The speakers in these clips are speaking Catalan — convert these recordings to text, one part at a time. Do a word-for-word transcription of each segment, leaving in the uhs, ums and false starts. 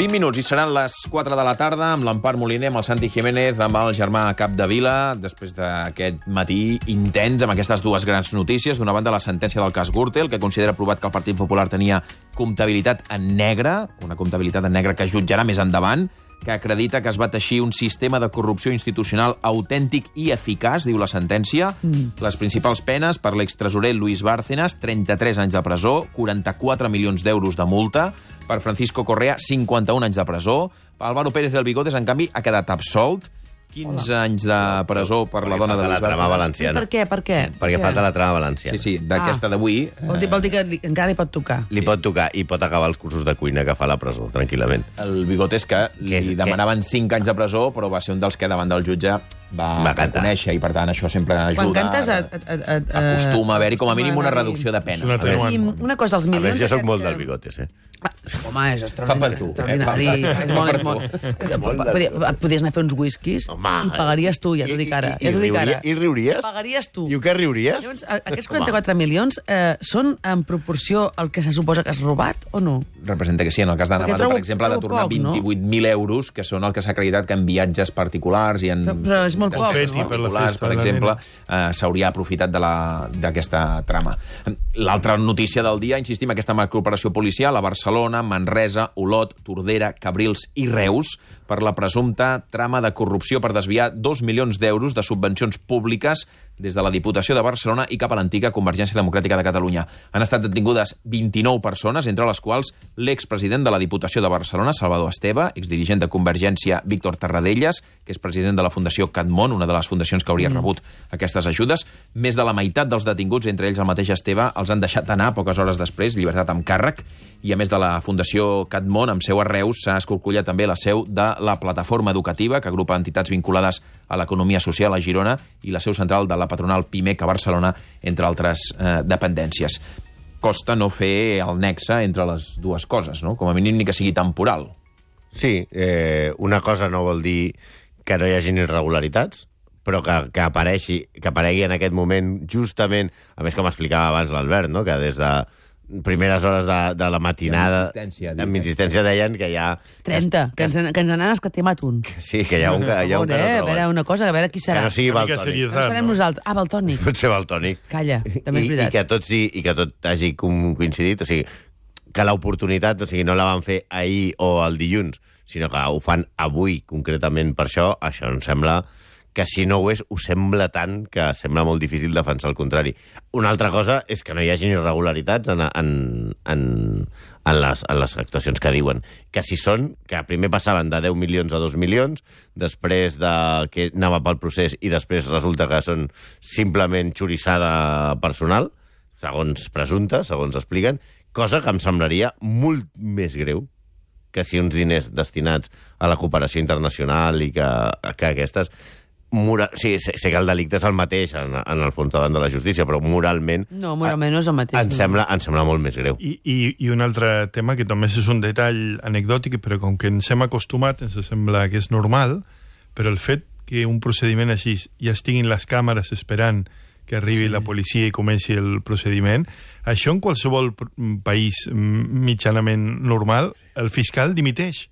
vint minuts i seran les quatre de la tarda amb l'Empar Moliner, amb el Santi Jiménez, amb el germà Capdevila, després d'aquest matí intens amb aquestes dues grans notícies. D'una banda, la sentència del cas Gürtel, que considera provat que el Partit Popular tenia comptabilitat en negre, una comptabilitat en negre que es jutjarà més endavant, que acredita que es va teixir un sistema de corrupció institucional autèntic i eficaç, diu la sentència. Mm. Les principals penes per l'extresorer Luis Bárcenas, trenta-tres anys de presó, quaranta-quatre milions d'euros de multa. Per Francisco Correa, cinquanta-un anys de presó. Álvaro Pérez del Bigotes, en canvi, ha quedat absolt. quinze Hola. anys de presó per perquè la dona de la trama valenciana. Per què? Per què? Perquè per falta la trama valenciana. Sí, sí, d'aquesta ah. d'avui... Vol dir, vol dir que li, encara li pot tocar. Li sí. pot tocar i pot acabar els cursos de cuina que fa a la presó, tranquil·lament. El Bigotes, que li que, demanaven que... cinc anys de presó, però va ser un dels que davant del jutge va, va reconèixer, i per tant això sempre ajuda. Quan cantes... A, a, a, a, acostuma a haver-hi com a mínim una reducció de pena. Una, I una cosa, els milions... A veure, jo soc molt del Bigotes, eh? Ah, home, és extraordinari. Fa per tu. Extraordinari. Et podies anar a fer uns whiskies i pagaries tu, ja t'ho dic ara. I, i, i, riuria, I riuries? Pagaries tu. I què riuries? Llavors, aquests quaranta-quatre milions eh, són en proporció al que se suposa que has robat o no? Representa que sí. En el cas d'Anna Mato, per exemple, ha de tornar vint-i-vuit mil euros, que són el que s'ha acreditat que en viatges particulars i en... Però, però és molt poc, no? Particulars, per exemple, eh, s'hauria aprofitat d'aquesta trama. L'altra notícia del dia, insistim, aquesta macrooperació policial a Barcelona, Manresa, Olot, Tordera, Cabrils i Reus per la presumpta trama de corrupció per desviar dos milions d'euros de subvencions públiques des de la Diputació de Barcelona i cap a l'antiga Convergència Democràtica de Catalunya. Han estat detingudes vint-i-nou persones, entre les quals l'expresident de la Diputació de Barcelona, Salvador Esteve, exdirigent de Convergència, Víctor Tarradellas, que és president de la Fundació Catmón, una de les fundacions que hauria rebut aquestes ajudes. Més de la meitat dels detinguts, entre ells el mateix Esteve, els han deixat anar poques hores després, llibertat amb càrrec, i a més de la Fundació Catmón, amb seu a Reus, s'ha escorcollat també la seu de la Plataforma Educativa, que agrupa entitats vinculades a l'economia social a Girona, i la seu central de la patronal Pimec a Barcelona, entre altres eh, dependències. Costa no fer el nexe entre les dues coses, no? Com a mínim ni que sigui temporal. Sí, eh, una cosa no vol dir que no hi hagin irregularitats, però que, que, apareixi, que aparegui en aquest moment justament, a més com explicava abans l'Albert, no? Que des de primeres hores de, de la matinada amb insistència, amb insistència deien que hi ha... trenta, que, que, ens, que ens n'han escatemat un. Sí, que hi ha un que, hi ha un que no troben. A veure, una cosa, a veure qui serà. Que no sigui Valtònic. No serem nosaltres. Ah, Valtònic. Pot ser Valtònic. Calla, també és veritat. I, i, que tot, sí, I que tot hagi coincidit, o sigui, que l'oportunitat, o sigui, no la van fer ahir o el dilluns, sinó que ho fan avui, concretament per això, això em sembla que si no ho és, ho sembla tant que sembla molt difícil defensar el contrari. Una altra cosa és que no hi hagi irregularitats en, en, en, en, les, en les actuacions que diuen. Que si són, que primer passaven de deu milions a dos milions, després de que anava pel procés i després resulta que són simplement xurissada personal, segons presumpte, segons expliquen, cosa que em semblaria molt més greu que si uns diners destinats a la cooperació internacional i que, que aquestes... Mora... Sí, sé, sé que el delicte és el mateix en, en el fons davant de la justícia, però moralment... No, moralment no és el mateix. Em, no. sembla, em sembla molt més greu. I, i, I un altre tema, que també és un detall anecdòtic, però com que ens hem acostumat, ens sembla que és normal, però el fet que un procediment així ja estiguin les càmeres esperant que arribi sí. la policia i comenci el procediment, això en qualsevol país mitjanament normal, el fiscal dimiteix.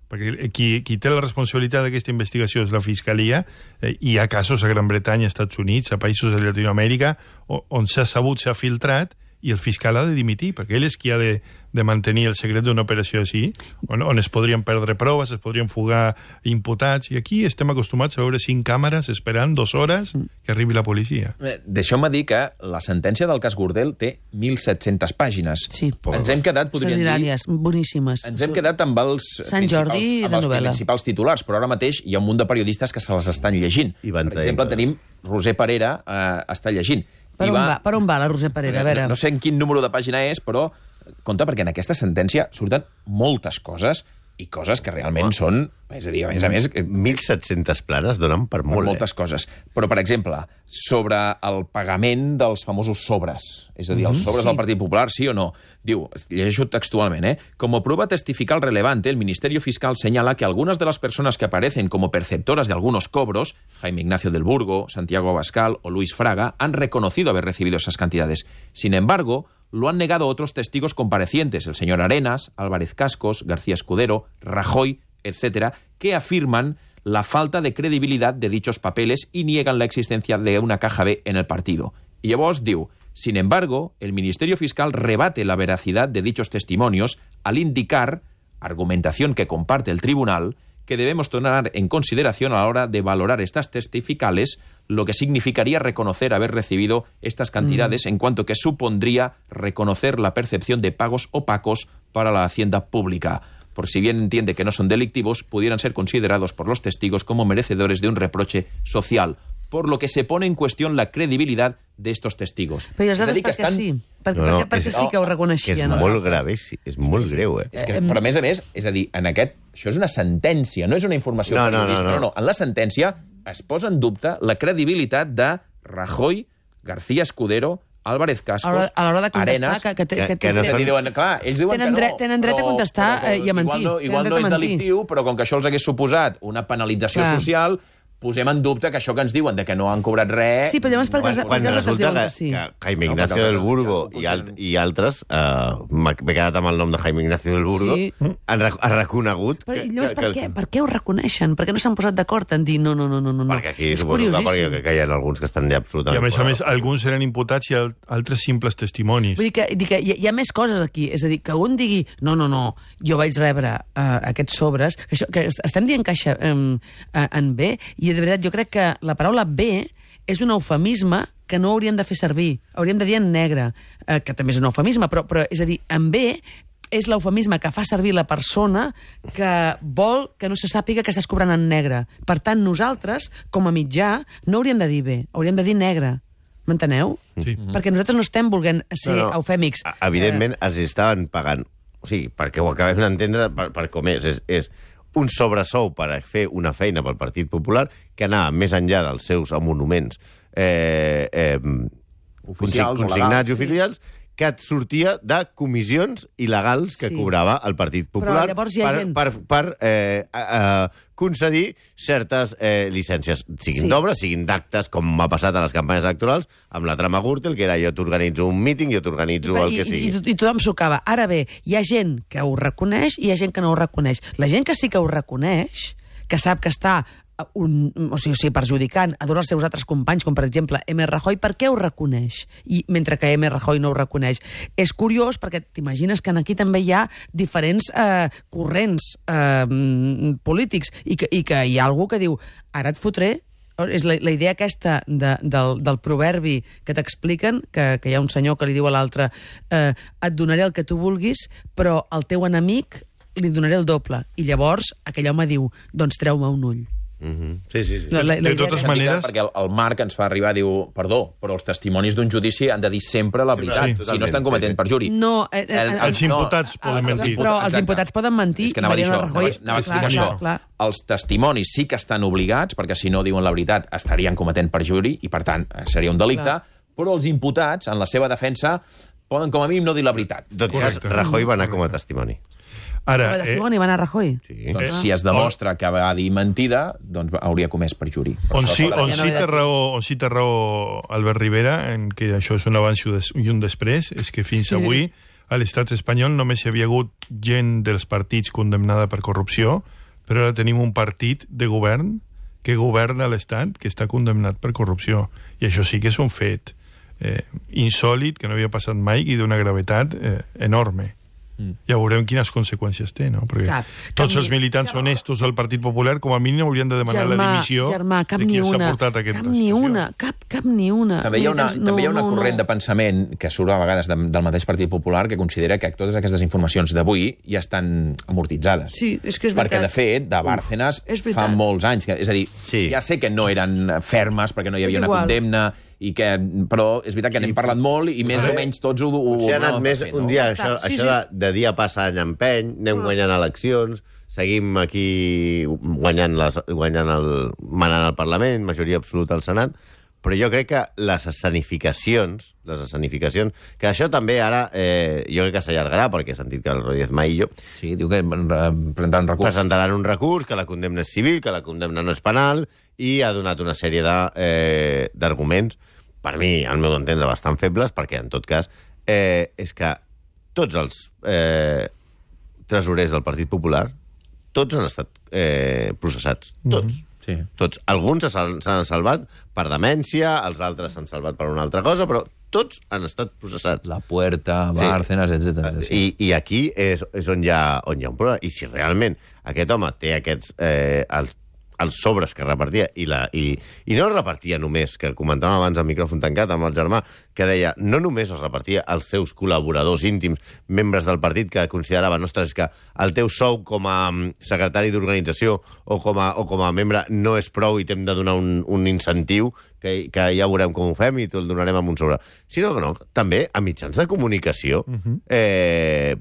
Perquè qui, qui té la responsabilitat d'aquesta investigació és la Fiscalia, eh, i hi ha casos a Gran Bretanya, als Estats Units, a països de Llatinoamèrica, on s'ha sabut, s'ha filtrat, i el fiscal ha de dimitir, perquè ell és qui ha de, de mantenir el secret d'una operació així, on, on es podrien perdre proves, es podrien fugar imputats, i aquí estem acostumats a veure cinc càmeres esperant dues hores que arribi la policia. Eh, Deixeu-me dir que la sentència del cas Gürtel té mil set-centes pàgines. Sí. Ens hem quedat, podríem dir... boníssimes. Ens hem quedat amb els, Sant Jordi principals, amb els principals titulars, però ara mateix hi ha un munt de periodistes que se les estan llegint. Per exemple, tenim Roser Parera, eh, està llegint. Per on, va, va, per on va la Roser Parera? A veure. No, no sé en quin número de pàgina és, però compte, perquè en aquesta sentència surten moltes coses i coses que realment oh. són... És a dir, a més a més... mil set-centes planes donen per molt, per moltes eh? coses. Però, per exemple, sobre el pagament dels famosos sobres, és a dir, els sobres sí. del Partit Popular, sí o no? Diu, llegeixo textualment, ¿eh? Como prueba testifical relevante, el Ministerio Fiscal señala que algunas de las personas que aparecen como perceptoras de algunos cobros, Jaime Ignacio del Burgo, Santiago Abascal o Luis Fraga, han reconocido haber recibido esas cantidades. Sin embargo, lo han negado otros testigos comparecientes, el señor Arenas, Álvarez Cascos, García Escudero, Rajoy, etcétera, que afirman la falta de credibilidad de dichos papeles y niegan la existencia de una caja B en el partido. Y llavors diu, sin embargo, el Ministerio Fiscal rebate la veracidad de dichos testimonios al indicar, argumentación que comparte el tribunal, que debemos tomar en consideración a la hora de valorar estas testificales, lo que significaría reconocer haber recibido estas cantidades mm. en cuanto que supondría reconocer la percepción de pagos opacos para la hacienda pública. Por si bien entiende que no son delictivos, pudieran ser considerados por los testigos como merecedores de un reproche social, por lo que se pone en cuestión la credibilidad de estos testigos. Però i els altres per què estan... sí? Per, no, no, perquè, perquè sí que ho reconeixien. És molt grave, és molt greu, eh? És que, però a més a més, és a dir, en aquest, això és una sentència, no és una informació no, no, periodista. No, no, no, no. En la sentència es posa en dubte la credibilitat de Rajoy, García Escudero, Álvarez Cascos, a l'hora de contestar, Arenas... Que, que, que, que, que no són... diuen, clar, ells diuen tenen que no, dret, tenen dret però, a contestar però, però, i a mentir. Igual no, igual no és delictiu, però com que això els hagués suposat una penalització clar. social, posem en dubte que això que ens diuen de que no han cobrat res... Sí, però llavors perquè, quan, quan resulta que, sí. que Jaime Ignacio no, del Burgo i, alt, i altres, uh, m'he quedat amb el nom de Jaime Ignacio del Burgo, sí. han, han reconegut... Però, que, llavors, que, per, què? per què ho reconeixen? Per què no s'han posat d'acord en dir no, no, no, no, no? Perquè aquí és curiosíssim. Perquè que hi ha alguns que estan ja absolutament... I a més a més, alguns eren imputats i altres simples testimonis. Vull dir que, dir que hi, ha, hi ha més coses aquí. És a dir, que un digui no, no, no, jo vaig rebre uh, aquests sobres, que, això, que estem dient caixa um, uh, en B, i de veritat jo crec que la paraula B és un eufemisme que no hauríem de fer servir. Hauríem de dir en negre, eh, que també és un eufemisme, però, però és a dir, en B és l'eufemisme que fa servir la persona que vol que no se sàpiga que estàs cobrant en negre. Per tant, nosaltres, com a mitjà, no hauríem de dir B, hauríem de dir negre. M'enteneu? Sí. Perquè nosaltres no estem volent ser no, no. eufèmics. Evidentment, eh... els estaven pagant. O sigui, perquè ho acabem d'entendre per, per com és. És, és un sobresou per a fer una feina pel Partit Popular que anava més enllà dels seus monuments eh, eh, oficials, consignats i oficials, que et sortia de comissions il·legals que sí. cobrava el Partit Popular per, gent... per, per eh, eh, concedir certes eh, llicències, siguin sí. d'obres, siguin d'actes, com ha passat a les campanyes electorals, amb la trama Gürtel, que era jo t'organitzo un míting, jo t'organitzo el que sigui. I, i, i tothom s'ho acaba. Ara bé, hi ha gent que ho reconeix i hi ha gent que no ho reconeix. La gent que sí que ho reconeix, que sap que està un, o sigui, o sigui, perjudicant a tots els seus altres companys, com per exemple M. Rajoy, per què ho reconeix? I mentre que M. Rajoy no ho reconeix. És curiós perquè t'imagines que aquí també hi ha diferents eh, corrents eh, polítics i que, i que hi ha algú que diu ara et fotré. És la, la idea aquesta de, del, del proverbi que t'expliquen, que, que hi ha un senyor que li diu a l'altre eh, et donaré el que tu vulguis, però al teu enemic li donaré el doble. I llavors aquell home diu, doncs treu-me un ull. Mm-hmm. Sí, sí, sí. No, la, la de totes maneres... Perquè el, el Marc ens fa arribar, diu, perdó, però els testimonis d'un judici han de dir sempre la veritat, sí, si no estan cometent sí, sí. perjuri. No, eh, eh, el, els imputats no, poden mentir. Però els imputats poden mentir. És que anava a dir això, Rajoy, anava, anava a explicar clar, això. Clar, clar. Els testimonis sí que estan obligats, perquè si no diuen la veritat estarien cometent perjuri, i per tant seria un delicte, clar. Però els imputats, en la seva defensa, poden com a mínim no dir la veritat. En tot cas, Rajoy va anar com a testimoni. Ara, el testimoni eh, va anar a Rajoy? Sí. Doncs, si es demostra que va dir mentida, doncs hauria comès perjuri. On sí, on, sí té raó, on sí té raó Albert Rivera, en que això és un abans i un després, és que fins sí. avui a l'estat espanyol només hi havia hagut gent dels partits condemnada per corrupció, però ara tenim un partit de govern que governa l'estat que està condemnat per corrupció. I això sí que és un fet eh, insòlit, que no havia passat mai i d'una gravetat eh, enorme. Mm. Ja veurem quines conseqüències té, no? Perquè clar, tots els militants clar. honestos del Partit Popular com a mínim haurien de demanar germà, la dimissió germà, de qui s'ha portat a aquesta cap ni una, cap, cap ni una. També hi ha una, no, també hi ha una no, corrent no. de pensament que surt a vegades de, del mateix Partit Popular que considera que totes aquestes informacions d'avui ja estan amortitzades. Sí, és que és perquè, veritat. de fet, de Bárcenas Uf, fa molts anys. Que, és a dir, sí. ja sé que no eren fermes perquè no hi havia una condemna, i que, però és veritat que n'hem parlat molt i més o menys tots ho... ho Potser ha anat més fer, un no? dia, això, sí, això sí. De, de dia passa any empeny, anem guanyant eleccions, seguim aquí guanyant, les, guanyant el, manant al Parlament, majoria absoluta al Senat, però jo crec que les escenificacions, les escenificacions, que això també ara, eh, jo crec que s'allargarà, perquè he sentit que el Rodríguez Maillo... Sí, diu que presentaran recurs. Presentaran un recurs, que la condemna és civil, que la condemna no és penal, i ha donat una sèrie d'arguments, eh, per mi, al meu entendre, bastant febles, perquè, en tot cas, eh, és que tots els eh, tresorers del Partit Popular, tots han estat eh, processats. Tots. Mm-hmm. Sí. Tots. Alguns s'han salvat per demència, els altres s'han salvat per una altra cosa, però tots han estat processats. La Puerta, Bárcenas, sí. etcètera. Sí. I, I aquí és, és on, hi ha, on hi ha un problema. I si realment aquest home té aquests... Eh, els els sobres que repartia, i, la, i, i no els repartia només, que comentàvem abans al micròfon tancat amb el germà, que deia, no només els repartia als seus col·laboradors íntims, membres del partit, que consideraven, ostres, que el teu sou com a secretari d'organització o, com a, o com a membre no és prou i t'hem de donar un, un incentiu, que, que ja veurem com ho fem i te'l donarem amb un sobre. Sinó que no, també a mitjans de comunicació, uh-huh. eh,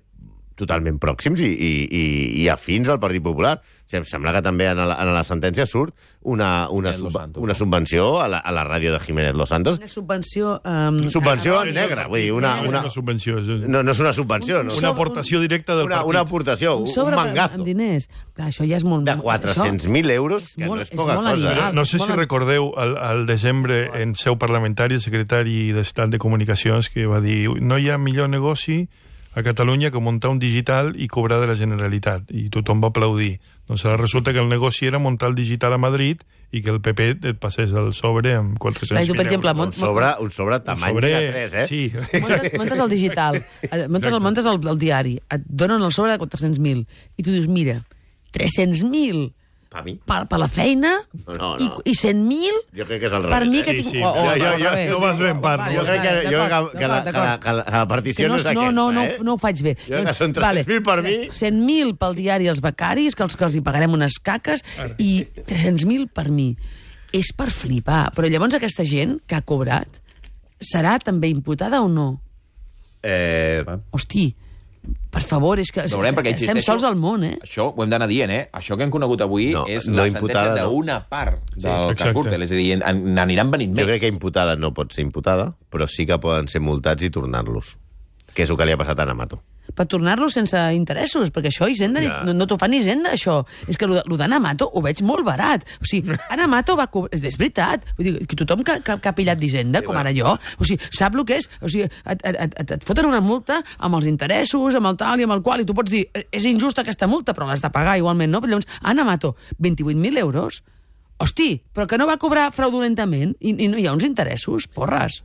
totalment pròxims i, i, i, i afins al Partit Popular. Em sembla que també en la, en la sentència surt una, una, subva Santos, una subvenció a la, a la ràdio de Jiménez Los Santos. Una subvenció... Um, subvenció en negre, vull dir, una... No una, és una subvenció. És... No, no és una subvenció. Un, no. una aportació directa del una, partit. Una aportació, un, sobre un mangazo. Amb diners. Clar, això ja és molt... De quatre-cents mil euros, que molt, no és poca és cosa. animal. Eh? No sé si recordeu, al, al desembre, en seu parlamentari, el secretari d'Estat de Comunicacions, que va dir no hi ha millor negoci a Catalunya que muntar un digital i cobrar de la Generalitat. I tothom va aplaudir. Doncs ara resulta que el negoci era muntar el digital a Madrid i que el P P et passés el sobre amb quatre-cents mil per exemple, euros. mont, un, sobre, un sobre tamany sobre... de tres, eh? Sí. Muntes, muntes el digital, muntes, el, muntes el, el diari, et donen el sobre de quatre-cents mil i tu dius, mira, tres-cents mil Per mi? per, per la feina no, no. i, i cent mil jo crec que és al per revés. mi que Sí, tinc... sí, o, o, jo- jo- al jo- revés. no vas ben part, Vale, Jo crec que, vale, jo crec d'acord, que, que, la, que, la, d'acord. que, la, que la partició no, no és no, aquesta, no, no, eh? no ho faig bé. Jo crec que són tres-cents mil per mi. cent mil pel diari als becaris, que els, que els hi pagarem unes caques, i tres-cents mil per mi. És per flipar. Però llavors aquesta gent que ha cobrat serà també imputada o no? Eh, Hosti, per favor, és que Veurem, perquè, estem insisteixo, sols al món, eh? Això ho hem d'anar dient, eh? Això que hem conegut avui No, és no la imputada, sentència no. d'una part del exacte. cas Gürtel. És a dir, en- n'aniran venint jo més. crec que imputada no pot ser imputada, però sí que poden ser multats i tornar-los. Que és el que li ha passat a Namato. Per tornar-los sense interessos, perquè això Hisenda, Ja. no, no t'ho fa ni Hisenda, això. És que el d'Anamato ho veig molt barat. O sigui, Anamato va cobrar... És veritat. Vull dir, que tothom que, que, que ha pillat d'Hisenda, com ara jo, o sigui, sap el que és? O sigui, et, et, et, et foten una multa amb els interessos, amb el tal i amb el qual, i tu pots dir, és injusta aquesta multa, però l'has de pagar igualment, no? Però llavors, Anamato, vint-i-vuit mil euros? Hosti, però que no va cobrar fraudulentament i, i no hi ha uns interessos? Porres.